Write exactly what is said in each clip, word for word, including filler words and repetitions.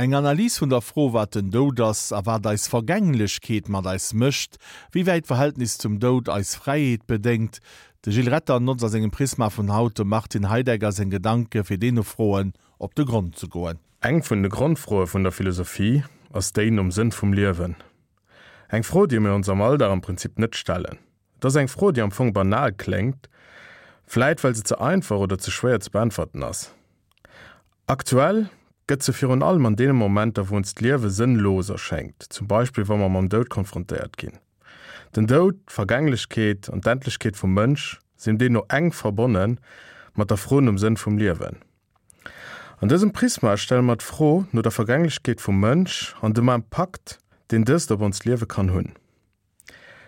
Eng Analys vun der Fro, wat den Doud ass a wat eis Vergänglechkeet mat eis mécht, wéi wäit d'Verhältnis zum Doud eis Fräiheet bedéngt. De Gilles Retter notzt a sengem Prisma vun haut dem Martin Heidegger seng Gedanke fir deene Froen op de Grond ze goen. Eng vun de Grondfroe vun der Philosophie ass déi nom Sënn vum Liewen. Eng Fro, déi mir ons am Alldag am Prinzip net stellen. Et ass eng Fro, déi am Fong banal kléngt, vläit well se ze einfach oder ze schwéier ze beäntwerten ass. Aktuell gëtt se virun allem an deene Momenter, wou ons d'Liewe sënnlos erschéngt, zum Beispill wa mer mam Doud konfrontéiert ginn. Den Doud, d'Vergänglechkeet an d'Endlechkeet vum Mënsch sinn deemno enk verbonne mat der Fro nom Sënn vum Liewen. An dësem Prisma stelle mer d'Fro no der Vergänglechkeet vum Mënsch an dem Impakt, deen dëst op onst Liewe kann hunn.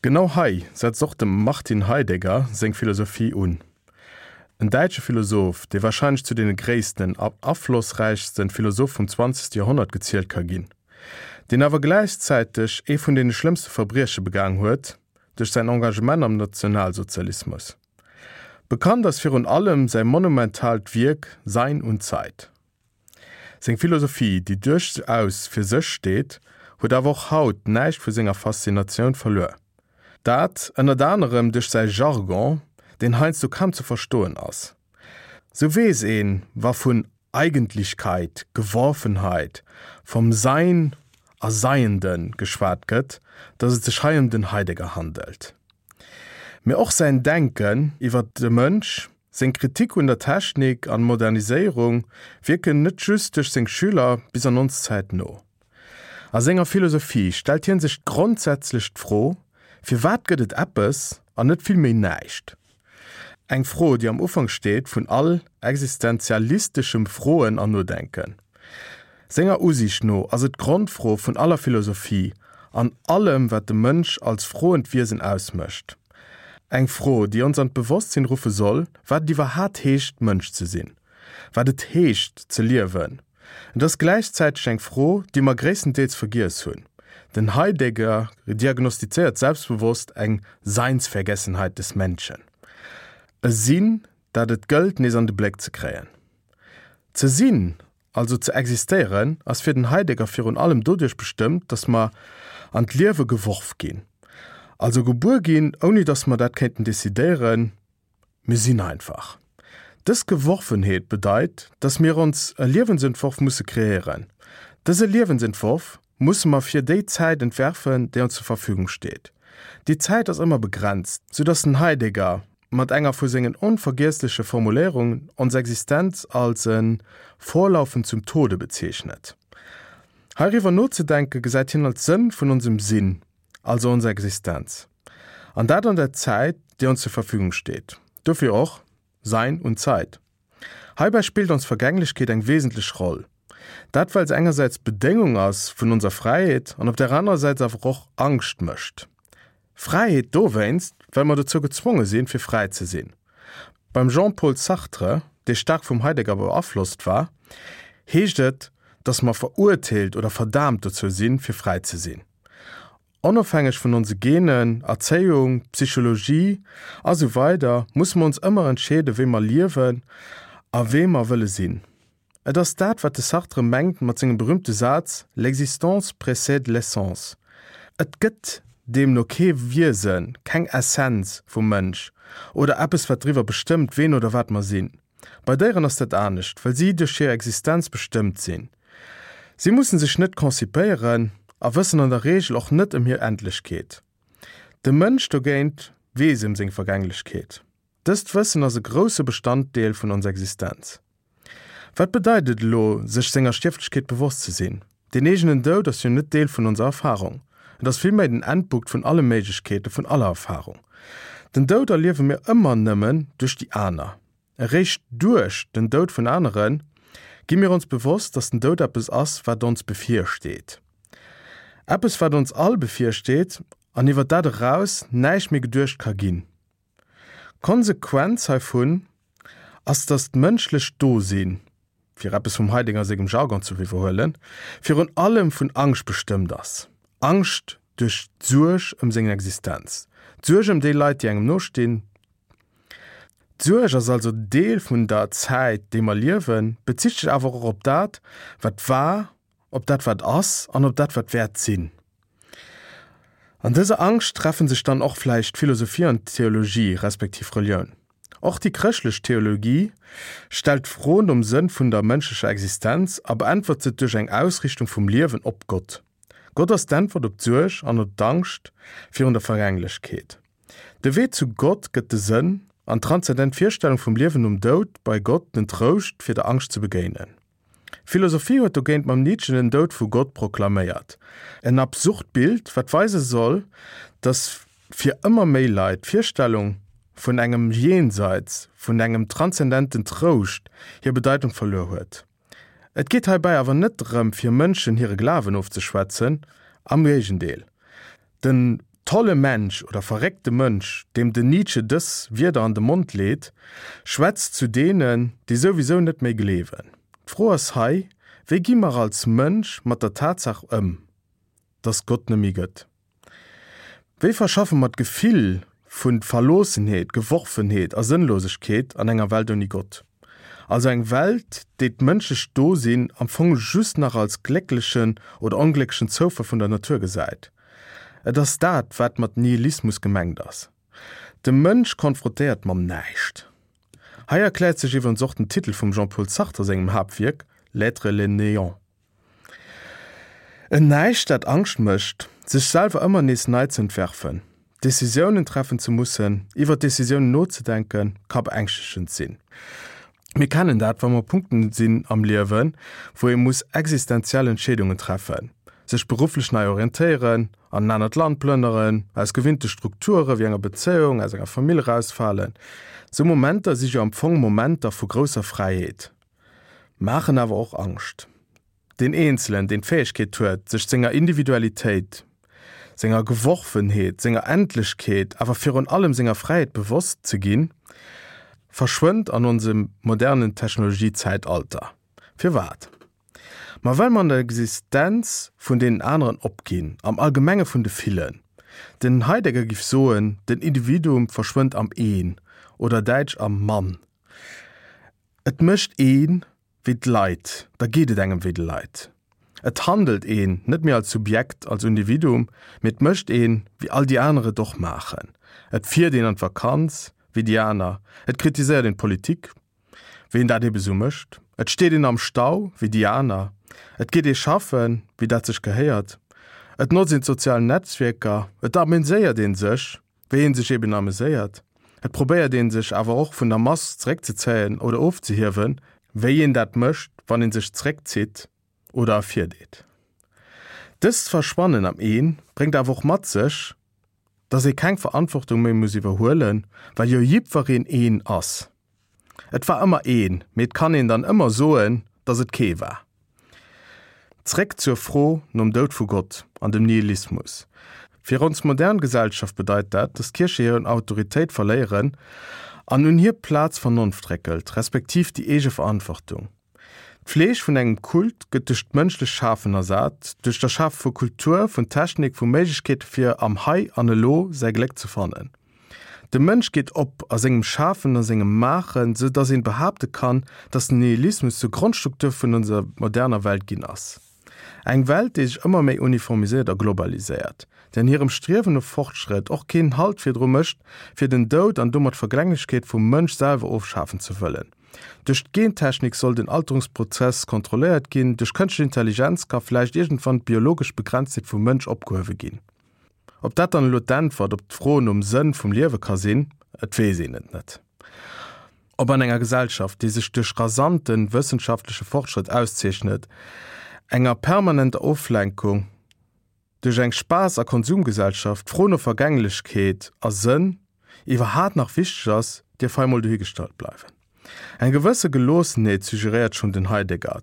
Genau hei setzt och dem Martin Heidegger seng Philosophie un. En däitsche Philosoph, dee warscheinlech zu deene gréissten a aflossräichste Philosophe vum zwanzegste Joerhonnert gezielt ka ginn, deen awer gläichzäiteg ee vun deene schlëmmste Verbrieche begaang huet duerch säin Engagement am Nationalsozialismus. Bekannt ass virun allem säi monumentaalt Wierk Sein und Zeit. Seng Philosophie, déi duerchaus fir sech steet, huet awer och haut näischt vu senger Faszinatioun verluer. Dat ënnert anerem duerch säi Jargon, deen heiansdo kaum ze verstoen ass. Sou weess een, wa vun Eigentlichkeit, Geworfenheit, vom Sein a Seienden geschwat gëtt, datt et sech hei ëm den Heidegger handelt. Mee och säin Denken iwwer de Mënsch, seng Kritik un der Technik an Moderniséierung wierken net just duerch seng Schüler bis an ons Zäit no. A senger Philosophie stellt hien sech grondsätzlech d'Fro, Firwat gëtt et eppes an net villméi näischt? Eng Fro, déi am Ufank steet vun all existenzialisteschem Froen an Nodenken. Senger Usiicht no ass et d'Grondfro vun aller Philosophie an allem, wat de Mënsch als froend Wiesen ausmécht. Eng Fro, déi ons an d'Bewosstsinn ruffe soll, wat et iwwerhaat heescht, Mënsch ze sinn, wat et heescht, ze liewen. Et ass gläichzäiteg eng Fro, déi mer gréisstendeels vergiess hunn. Den Heidegger diagnostizéiert selbstbewosst eng Seinsvergessenheit des Menschen. E Sinn, dat et gëllt, nees an de Bléck ze kréien. Ze sinn, also ze existéieren, ass fir den Heidegger virun allem doduerch bestëmmt, datt mer an d'Liewe geworf ginn. Also gebuer ginn, ouni datt mer dat kéinten decidéieren, mir sinn einfach. Dës Geworfenheet bedeit, datt mir ons e Liewensentworf musse kreéieren. Dëse Liewensentworf musse mer fir déi Zäit entwerfen, déi ons zur Verfügung steet. Déi Zäit ass ëmmer begrenzt, sou datt den Heidegger mat enger vu sengen onvergiessleche Formuléierungen ons Existenz als e Vorlaufen zum Tode bezeechnet. Heiriwwer nozedenke gesäit hien als Sënn vun onsem Sinn, also onser Existenz. An dat an der Zäit, déi ons zur Verfügung steet. Dofir och Sein und Zeit. Heibäi spillt ons Vergänglechkeet eng wesentlech Roll. Dat well se engersäits Bedéngung ass vun onser Fräiheet an op der anerer Säit awer och Angscht mécht. Fräiheet dowéinst, well mer dozou gezwonge sinn, fir fräi ze sinn. Beim Jean-Paul Sartre, dee staark vum Heidegger beaflosst war, heescht et, datt mer verurteelt oder verdaamt dozou sinn, fir fräi ze sinn. Onofhängeg vun onse Genen, Erzéiung, Psychologie a sou weider musse mer ons ëmmer entscheeden, wéi mer liewen a wee mer wëlle sinn. Et ass dat, wat de Sartre mengt mat sengem berüümte Saz, L'existence précède l'essence. Et gëtt deemno kee Wiesen, keng Essenz vum Mënsch oder eppes, wat driwwer bestëmmt, ween oder wat mer sinn. Bei Déieren ass dat anescht, well si duerch hir Existenz bestëmmt sinn. Si mussen sech net konzipéieren a wëssen an der Reegel och net ëm hir Endlechkeet. De Mënsch dogéint weess ëm seng Vergänglechkeet. Dëst Wëssen ass e grousse Bestanddeel vun onser Existenz. Wat bedeit et elo, sech senger Stierflechkeet bewosst ze sinn? Den eegenen Doud ass jo net Deel vun onser Erfarung. Et ass villméi den Endpunkt vun alle Méiglechkeete vun aller Erfarung. Den Doud erliewe mir ëmmer nëmmen duerch déi aner. Eréischt duerch den Doud vun anere gi mir ons bewosst, dass den Doud eppes ass, wat ons bevirsteet. Eppes, wat ons all bevirsteet an iwwer dat eraus näischt méi geduecht ka ginn. D'Konsequenz heivun ass, dass d'mënschlecht Dosinn, fir eppes vum Heidegger sengem Jargon ze iwwerhuelen, virun allem vun Angscht bestëmmt ass. Angscht duerch d'Suerg ëm seng Existenz, d'Suerg ëm déi Leit, déi engem nostinn. D'Suerg ass also Deel vun der Zäit, déi mer liewen, bezitt sech awer och op dat, wat war op dat wat ass an op dat wat wäert sinn. An dëser Angscht treffen sech dann och vläicht Philosophie an Theologie respektiv Relioun. Och déi chrëschtlech Theologie stellt d'Fro nom Sënn vun der mënschlecher Existenz a beäntwert se duerch eng Ausrichtung vum Liewen op Gott. Gott ass d'Äntwert op d'Suerg an op d'Angscht virun der Vergänglechkeet. De Wee zu Gott gëtt de Sënn an d'transzendent Virstellung vum Liewen nom Doud bei Gott den Trouscht fir der Angscht ze begéinen. D'Philosophie huet dogéint mam Nietzsche den Doud vu Gott proklaméiert. En absurd Bild, wat weise soll, dass fir ëmmer méi Leit d'Virstellung vun engem Jenseits, vun engem transzendenten Trouscht hir Bedeitung verluer huet. Et geet heibäi awer net drëm, fir Mënschen hire Glawen ofzeschwätzen, am Géigendeel. Den tolle Mensch oder verréckte Mënsch, deem den Nietzsche dës Wierder an de Mond leet, schwätzt zu deenen, déi souwisou net méi gleewen. D'Fro ass hei, Wéi gi mer als Mënsch mat der Tatsaach ëm, dass Gott net méi gëtt? Wéi verschaffe mer d'Gefill vu Verloossenheet, Geworfenheet a Sënnlosegkeet an enger Welt ouni Gott? Also eng Welt, déi d'mënschlecht Dosinn am Fong just nach als glécklechen oder onglécklechen Zoufall vun der Natur gesäit. Et ass dat, wat mat Nihilismus gemengt ass. De Mënsch konfrontéiert mam Näischt. Hei erkläert sech iwwerens och den Titel vum Jean-Paul Sartre sengem Haaptwierk, L'être et le néant. En Näischt, dat Angscht mécht, sech selwer ëmmer nees nei ze entwerfen, Decisiounen treffen ze mussen, iwwer Decisiounen nozedenken, ka beängschtegend sinn. Mir kennen dat, wa mer Punkten sinn am Liewen, wou ee muss existenziell Entscheedungen treffen, sech berufflech nei orientéieren, an en anert Land plënneren, aus gewinnte Strukture wéi enger Bezéiung, aus enger Famill erausfalen. Sou Momenter si jo am Fong Momenter vu grousser Fräiheet, maachen awer och Angscht. Deen Eenzelen, deen d'Fäegkeet huet, sech senger Individualitéit, senger Geworfenheet, senger Endlechkeet, awer virun allem senger Fräiheet bewosst ze ginn, verschwënnt an onsem modernen Technologiezäitalter. Firwat? Ma well mer an der Existenz vun deenen aneren opginn, am Allgemenge vun de Villen. Den Heidegger giff soen, den Individuum verschwënnt am Een, oder däitsch am Man. Et mécht ee wéi d'Leit, da geet et engem wéi de Leit. Et handelt een net méi als Subjekt, als Individuum, mee et mécht een, wéi all déi aner et och maachen. Et fiert een an d'Vakanz, wéi déi aner, et kritiséiert een d'Politik, wéi een dat ebe sou mécht, et steet een am Stau, wéi déi aner, et geet ee schaffen, wéi dat sech gehéiert, et notzt een d'sozial Netzwierker, et ameséiert ee sech, wéi ee sech eben ameséiert, et probéiert ee sech awer och vun der Mass zeréckzezéien oder ofzehiewen, wéi een dat mécht, wann ee sech zeréckzitt oder ervirdeet. Dëst Verschwannen am Een bréngt awer och mat sech, dass ee keng Verantwortung méi muss iwwerhuelen, well jo jiddwereen een ass. Et war ëmmer een, mee et kann een dann ëmmer soen, dass et kee war. Zréck zur Fro nom Doud vu Gott an dem Nihilismus. Fir ons modern Gesellschaft bedeit dat, dass d'Kierche hir Autoritéit verléieren an un hir Plaz d'Vernonft réckelt, respektiv déi eege Verantwortung. D'Fleeg vun engem Kult gëtt duerch d'mënschlecht Schafen ersat, duerch d'Erschafe vu Kultur, vun Technik, vu Méiglechkeete fir am Hei an Elo säi Gléck ze fannen. De Mënsch geet op a sengem Schafen, a sengem Maachen, sou dass een behaapte kann, dass den Nihilismus zur Grondstruktur vun onser moderner Welt ginn ass. Eng Welt, déi sech ëmmer méi uniformiséiert a globaliséiert, déi an hirem Striewen no Fortschrëtt och keen Halt virdru mécht, fir den Doud an domat d'Vergänglechkeet vum Mënsch selwer ofschafen ze wëllen. Duerch d'Gentechnik soll den Alterungsprozess kontrolléiert ginn, duerch kënschtlech Intelligenz ka vläicht iergendwann d'biologesch Begrenztheet vum Mënsch opgehuewe ginn. Ob dat dann elo d'Äntwert op d'Fro nom Sënn vum Liewe ka sinn, et weess een et net. Ob an enger Gesellschaft, déi sech duerch rasante wëssenschaftleche Fortschrëtt auszeechnet, enger permanenter Oflenkung duerch eng Spaass a Konsumgesellschaft, d'Fro no Vergänglechkeet a Sënn iwwerhaat nach wichteg ass, dierf hei mol dohigestallt bleiwen. Eng gewësse Geloossenheet suggeréiert schonn den Heidegger.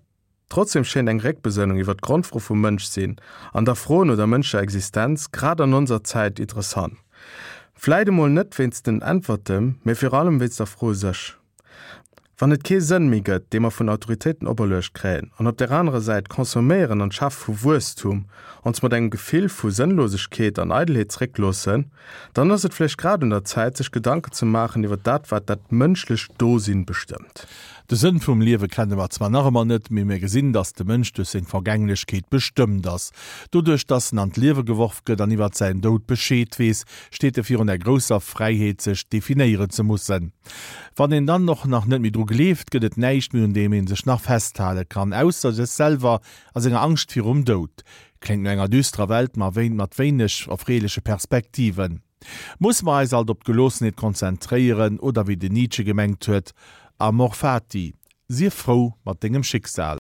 Trotzdem schéint eng Réckbesënnung iwwer d'Grondfro vum Mënschsinn an der Fro no der mënschlecher Existenz grad an onser Zäit interessant. Vläit emol net wéinst den Äntwerten, mee virun allem wéinst der Fro u sech. Wann et kee Sënn méi gëtt, dee mer vun Autoritéiten operluecht kréien, an op där anerer Säit d'Consomméieren an d'Schafe vu Wuesstum ons mat engem Gefill vu Sënnlosegkeet an Eidelheet zeréckloossen, dann ass et vläicht grad un der Zäit, sech Gedanken ze maachen iwwer dat, wat dat mënschlecht Dosinn bestëmmt. De Sënn vum Liewe kenne mer zwar nach ëmmer net, mee mir gesinn, dass de Mënsch duerch seng Vergänglechkeet bestëmmt ass. Doduerch, dass en an d'Liewe geworf gëtt an iwwert säin Doud Bescheed weess, steet e virun der grousser Fräiheet, sech definéieren ze mussen. Wann een dann och nach net méi dru gleeft, gëtt et näischt méi, un deem een sech nach festhale kann, ausser sech selwer a senger Angscht virum Doud. Kléngt no enger düsterer Welt, ma mat wéineg erfreeleche Perspektiven. Musse mer eis alt op d'Geloossenheet konzentréieren oder wéi den Nietzsche gemengt huet, Amor fati, sief frou mat dengem Schicksal.